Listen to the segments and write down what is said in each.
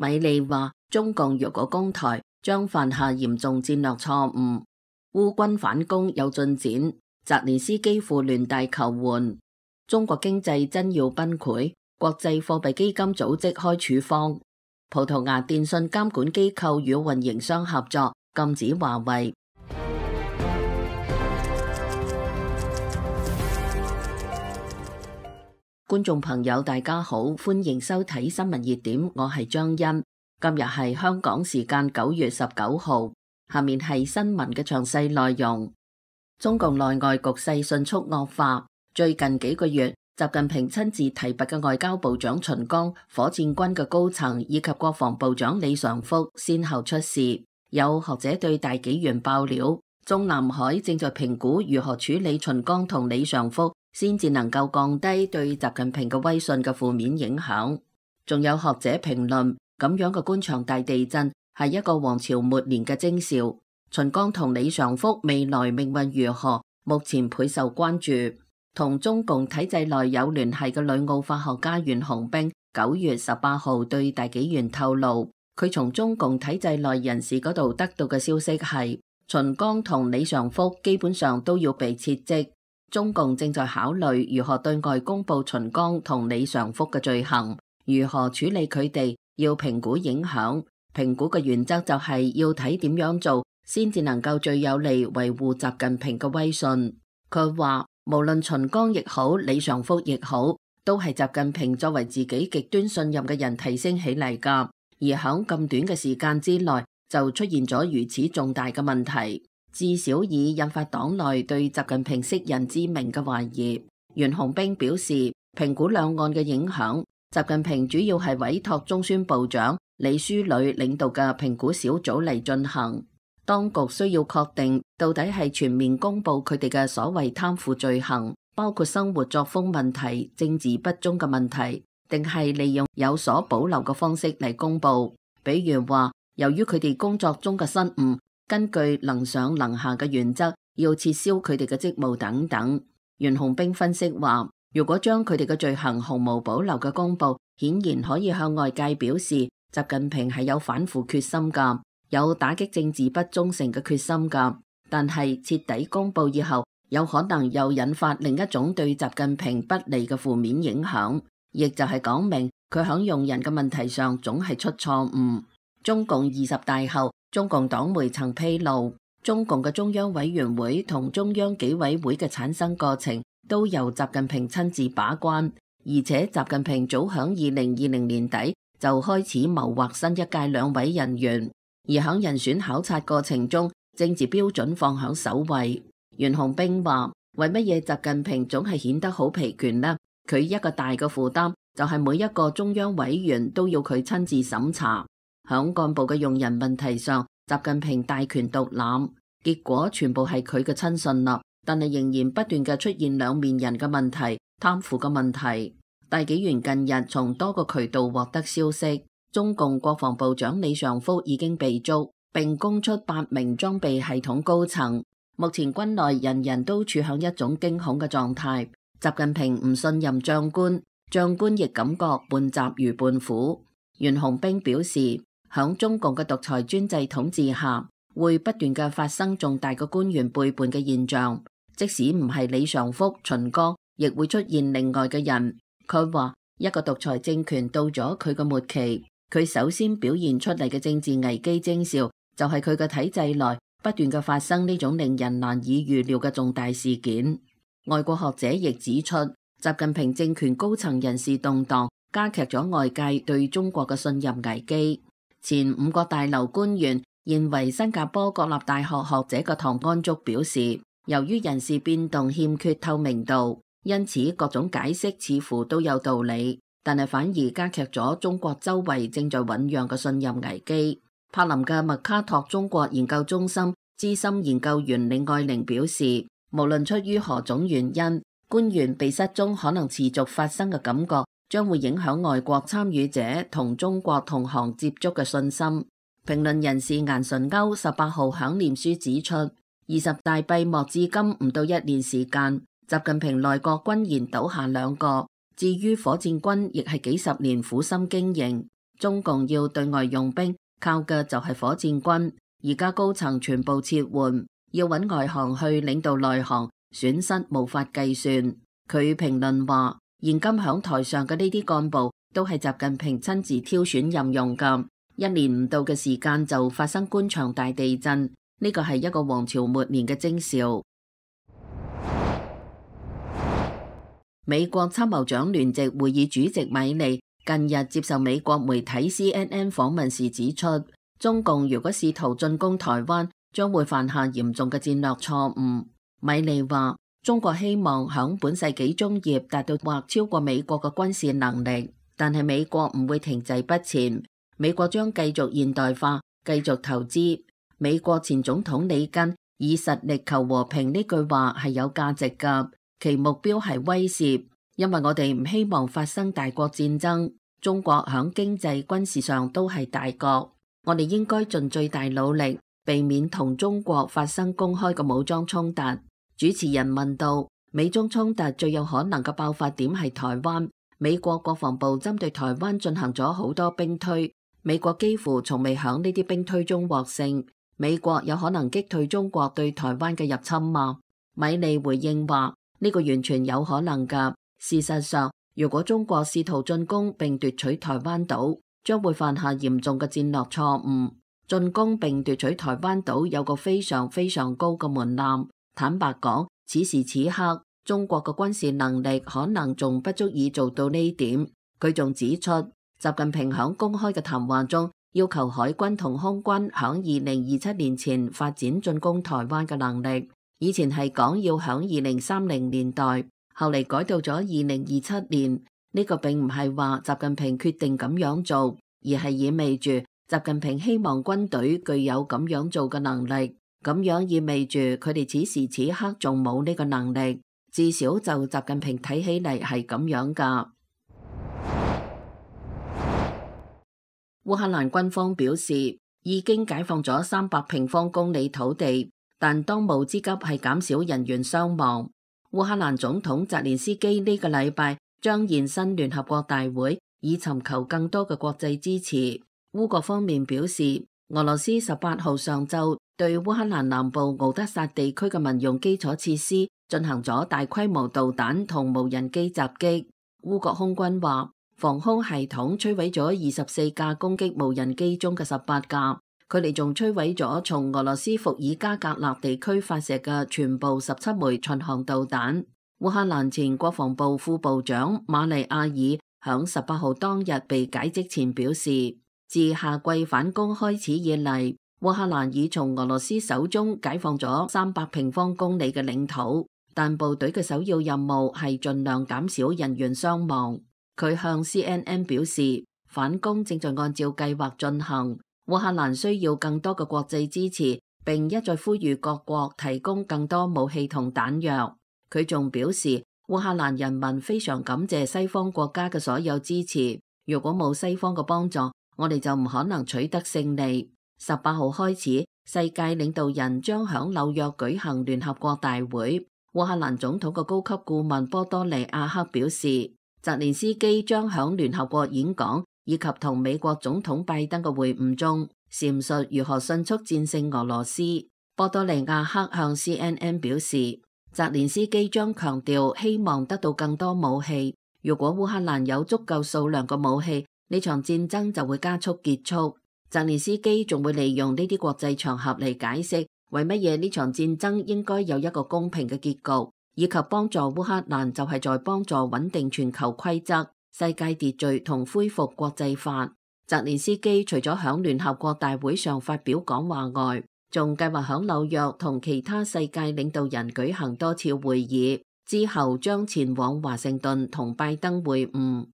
米利話，中共若果攻台，將犯下嚴重戰略錯誤。烏軍反攻有進展，澤連斯基赴聯大求援。中國經濟真要崩潰，國際貨幣基金組織開處方。葡萄牙電信監管機構與運營商合作，禁止華為。觀眾朋友大家好，歡迎收睇新聞熱點，我係張欣。今日係香港時間9月19號，下面係新聞嘅詳細內容。中共內外局勢迅速惡化，最近幾個月，習近平親自提拔嘅外交部長秦剛、火箭軍嘅高層以及國防部長李尚福先後出事。有學者對大紀元爆料，中南海正在評估如何處理秦剛同李尚福，先至能夠降低對習近平嘅威信嘅負面影響。仲有學者評論，咁樣嘅官場大地震係一個王朝末年嘅徵兆。秦剛同李尚福未來命運如何，目前倍受關注。同中共體制內有聯繫嘅旅澳法學家袁洪兵9月18號對大紀元透露，佢從中共體制內人士嗰度得到嘅消息係，秦剛同李尚福基本上都要被撤職。中共正在考慮如何對外公布秦剛同李尚福嘅罪行，如何處理佢哋，要評估影響。評估嘅原則就係要睇點樣做，先至能夠最有利維護習近平嘅威信。佢話無論秦剛亦好，李尚福亦好，都係習近平作為自己極端信任嘅人提升起嚟㗎，而響咁短嘅時間之內就出現咗如此重大嘅問題，至少已引發黨內對習近平識人之明嘅懷疑。袁洪兵表示，評估兩岸嘅影響，習近平主要係委託中宣部長李書磊領導嘅評估小組嚟進行。當局需要確定到底係全面公布佢哋嘅所謂貪腐罪行，包括生活作風問題、政治不忠嘅問題，定係利用有所保留嘅方式嚟公布。比如話，由於佢哋工作中嘅失誤，根據能上能下嘅原則，要撤銷佢哋嘅職務等等。袁洪兵分析話，如果將佢哋嘅罪行毫無保留嘅公布，顯然可以向外界表示習近平係有反腐決心㗎，有打擊政治不忠誠嘅決心㗎。但係徹底公布以後，有可能又引發另一種對習近平不利嘅負面影響，亦就係講明佢響用人嘅問題上總係出錯誤。中共20大後，中共黨媒曾披露，中共嘅中央委員會同中央紀委會嘅產生過程都由習近平親自把關，而且習近平早響2020年底就開始謀劃新一屆兩委人員，而響人選考察過程中，政治標準放響首位。袁洪兵話，為乜嘢習近平總係顯得好疲倦呢？佢一個大嘅負擔就係每一個中央委員都要佢親自審查。響幹部嘅用人問題上，習近平大權獨攬，結果全部係佢嘅親信啦。但係仍然不斷嘅出現兩面人嘅問題、貪腐嘅問題。大紀元近日從多個渠道獲得消息，中共國防部長李尚福已經被捉，並供出8名裝備系統高層。目前軍內人人都處響一種驚恐嘅狀態。習近平唔信任將官，將官亦感覺半習如半虎。袁洪兵表示，響中共嘅獨裁專制統治下，會不斷嘅發生重大嘅官員背叛嘅現象，即使唔係李尚福、秦剛，亦會出現另外嘅人。佢話，一個獨裁政權到咗佢嘅末期，佢首先表現出嚟嘅政治危機徵兆，就係佢嘅體制內不斷嘅發生呢種令人難以預料嘅重大事件。外國學者亦指出，習近平政權高層人事動盪，加劇咗外界對中國嘅信任危機。前5個大樓官員，現為新加坡國立大學學者嘅唐安竹表示，由於人事變動欠缺透明度，因此各種解釋似乎都有道理，但係反而加劇咗中國周圍正在醞釀嘅信任危機。柏林嘅麥卡托中國研究中心資深研究員李愛玲表示，無論出於何種原因，官員被失蹤可能持續發生嘅感覺，將會影響外國參與者同中國同行接觸嘅信心。評論人士顏純歐18號響臉書指出，20大閉幕至今唔到1年時間，習近平內閣軍然倒下2個，至於火箭軍亦係幾十年苦心經營，中共要對外用兵，靠嘅就係火箭軍。而家高層全部撤換，要揾外行去領導內行，損失無法計算。佢評論話，現今響台上嘅呢啲幹部都係習近平親自挑選任用㗎。1年唔到嘅時間就發生官場大地震，呢個係一個王朝末年嘅徵兆。美國參謀長聯席會議主席米利近日接受美國媒體 CNN 訪問時指出，中共如果試圖進攻台灣，將會犯下嚴重嘅戰略錯誤。米利話，中國希望響本世紀中葉達到或超過美國嘅軍事能力，但係美國唔會停滯不前，美國將繼續現代化，繼續投資。美國前總統里根以實力求和平呢句話係有價值㗎，其目標係威懾，因為我哋唔希望發生大國戰爭。中國響經濟軍事上都係大國，我哋應該盡最大努力避免同中國發生公開嘅武裝衝突。主持人問到，美中衝突最有可能嘅爆發點係台灣，美國國防部針對台灣進行咗好多兵推，美國幾乎從未響呢啲兵推中獲勝。美國有可能擊退中國對台灣嘅入侵嗎？米利回應話，呢個完全有可能㗎。事實上，如果中國試圖進攻並奪取台灣島，將會犯下嚴重嘅戰略錯誤。進攻並奪取台灣島有個非常非常高嘅門檻。坦白講，此時此刻，中國嘅軍事能力可能仲不足以做到呢點。佢仲指出，習近平響公開嘅談話中要求海軍同空軍響2027年前發展進攻台灣嘅能力。以前係講要響2030年代，後嚟改到咗2027年。呢個並唔係話習近平決定咁樣做，而係意味住習近平希望軍隊具有咁樣做嘅能力。咁樣意味住佢哋此時此刻仲冇呢個能力，至少就習近平睇起嚟係咁樣㗎。烏克蘭軍方表示已經解放咗300平方公里土地，但當務之急係減少人員傷亡。烏克蘭總統澤連斯基呢個禮拜將現身聯合國大會，以尋求更多嘅國際支持。烏國方面表示，俄羅斯18號上晝對烏克蘭南部敖德薩地區嘅民用基礎設施進行咗大規模導彈同無人機襲擊。烏國空軍話，防空系統摧毀咗24架攻擊無人機中嘅18架，佢哋仲摧毀咗從俄羅斯伏爾加格勒地區發射嘅全部17枚巡航導彈。烏克蘭前國防部副部長馬利亞爾響18號當日被解職前表示，自夏季反攻開始以嚟，烏克蘭已從俄羅斯手中解放咗300平方公里嘅領土，但部隊嘅首要任務係盡量減少人員傷亡。佢向 CNN 表示，反攻正在按照計劃進行，烏克蘭需要更多嘅國際支持，並一再呼籲各國提供更多武器同彈藥。佢仲表示，烏克蘭人民非常感謝西方國家嘅所有支持，如果冇西方嘅幫助，我哋就唔可能取得勝利。18號開始，世界領導人將響紐約舉行聯合國大會。烏克蘭總統嘅高級顧問波多利亞克表示，澤連斯基將響聯合國演講以及同美國總統拜登嘅會晤中，闡述如何迅速戰勝俄羅斯。波多利亞克向 CNN 表示，澤連斯基將強調希望得到更多武器。如果烏克蘭有足夠數量嘅武器，呢場戰爭就會加速結束。澤連斯基仲會利用呢啲國際場合嚟解釋為乜嘢呢場戰爭應該有一個公平嘅結局，以及幫助烏克蘭就係在幫助穩定全球規則、世界秩序同恢復國際法。澤連斯基除咗響聯合國大會上發表講話外，仲計劃響紐約同其他世界領導人舉行多次會議，之後將前往華盛頓同拜登會晤。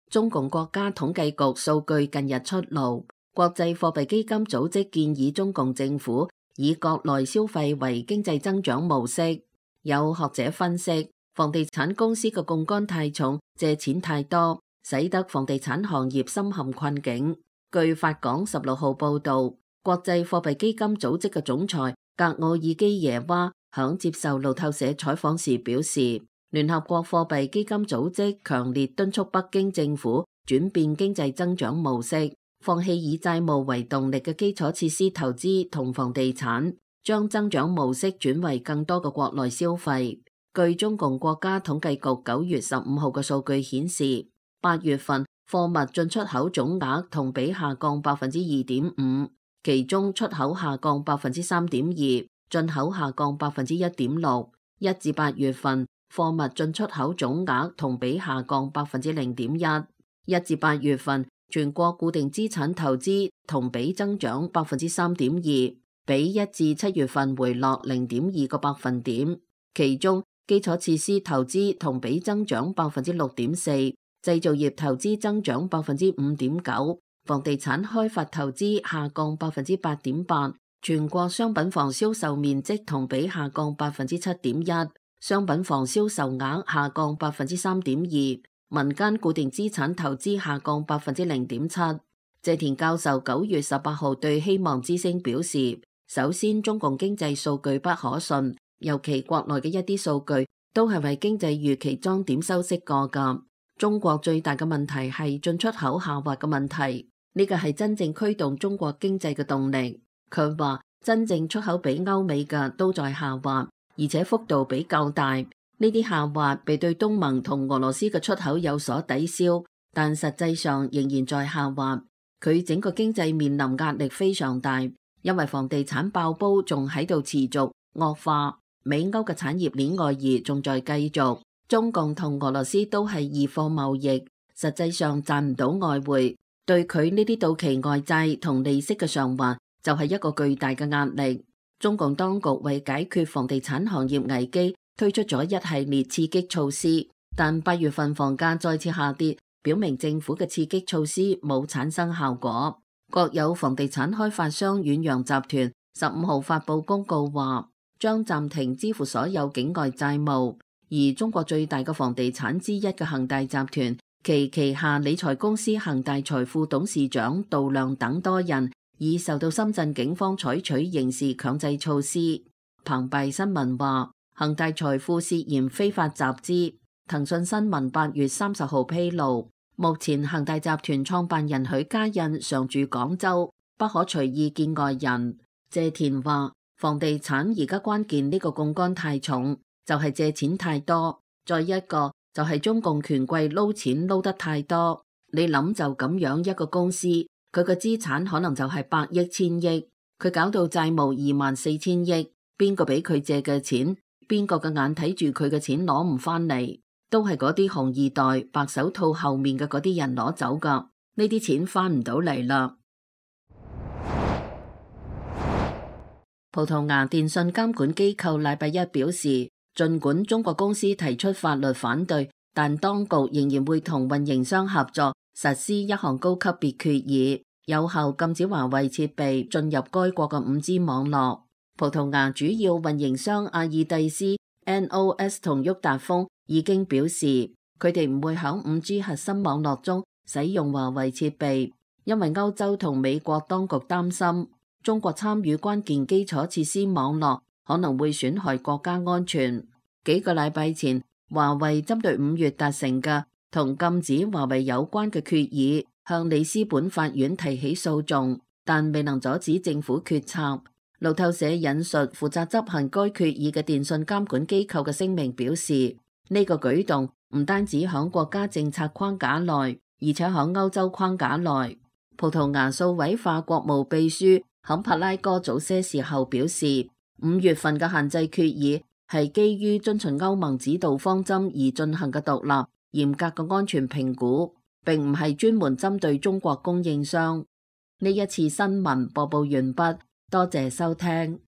中共國家統計局數據近日出爐，國際貨幣基金組織建議中共政府以國內消費為經濟增長模式。有學者分析，房地產公司嘅槓桿太重，借錢太多，使得房地產行業深陷困境。據法廣16號報道，國際貨幣基金組織嘅總裁格奧爾基耶娃響接受路透社採訪時表示，聯合國貨幣基金組織強烈敦促北京政府轉變經濟增長模式，放棄以債務為動力嘅基礎設施投資同房地產，將增長模式轉為更多嘅國內消費。據中共國家統計局9月15號嘅數據顯示，8月份貨物進出口總額同比下降2.5%，其中出口下降3.2%，進口下降1.6%。1至8月份貨物進出口總額同比下降0.1%。1至8月份全國固定資產投資同比增長3.2%，比1至7月份回落0.2個百分點。其中基礎設施投資同比增長6.4%，製造業投資增長5.9%，房地產開發投資下降8.8%。全國商品房銷售面積同比下降7.1%，商品房銷售額下降3.2%，民間固定資產投資下降0.7%。謝田教授9月18號對希望之聲表示，首先中共經濟數據不可信，尤其國內嘅一啲數據都係為經濟預期裝點修飾過㗎。中國最大嘅問題係進出口下滑嘅問題，呢個係真正驅動中國經濟嘅動力。佢話真正出口比歐美嘅都在下滑，而且幅度比較大。呢啲下滑被對東盟同俄羅斯嘅出口有所抵消，但實際上仍然在下滑。佢整個經濟面臨壓力非常大，因為房地產爆煲仲喺度持續惡化，美歐嘅產業鏈外移仲在繼續。中共同俄羅斯都係異貨貿易，實際上賺唔到外匯，對佢呢啲到期外債同利息嘅償還就係一個巨大嘅壓力。中共當局為解決房地產行業危機，推出咗一系列刺激措施，但8月份房價再次下跌，表明政府嘅刺激措施冇產生效果。國有房地產開發商遠洋集團15號發布公告話，將暫停支付所有境外債務。而中國最大嘅房地產之一嘅恒大集團，其旗下理財公司恒大財富董事長杜亮等多人已受到深圳警方採取刑事強制措施。澎湃新聞話，恒大財富涉嫌非法集資。騰訊新聞8月30號披露，目前恒大集團創辦人許家印常駐廣州，不可隨意見外人。謝田話，房地產而家關鍵呢個槓桿太重，就係借錢太多，再一個就係中共權貴撈錢撈得太多。你諗就咁樣一個公司，佢嘅資產可能就係百億千億，佢搞到債務24000億，邊個俾佢借嘅錢，邊個嘅眼睇住佢嘅錢攞唔翻嚟，都係嗰啲紅二代白手套後面嘅嗰啲人攞走噶，呢啲錢翻唔到嚟啦。葡萄牙電信監管機構禮拜一表示，儘管中國公司提出法律反對，但當局仍然會同運營商合作實施一項高級別決議，有效禁止華為設備進入該國嘅5G 網絡。葡萄牙主要運營商阿爾蒂斯、NOS 同沃達豐已經表示，佢哋唔會響5G 核心網絡中使用華為設備，因為歐洲同美國當局擔心中國參與關鍵基礎設施網絡可能會損害國家安全。幾個禮拜前，華為針對5月達成嘅同禁止華為有關嘅決議，向里斯本法院提起訴訟，但未能阻止政府決策。路透社引述負責執行該決議嘅電信監管機構嘅聲明表示，呢個舉動唔單止響國家政策框架內，而且響歐洲框架內。葡萄牙數位化國務秘書坎帕拉哥早些時候表示，5月份嘅限制決議係基於遵循歐盟指導方針而進行嘅獨立、嚴格嘅安全評估，並唔係專門針對中國供應商。呢一次新聞播報完畢，多謝收聽。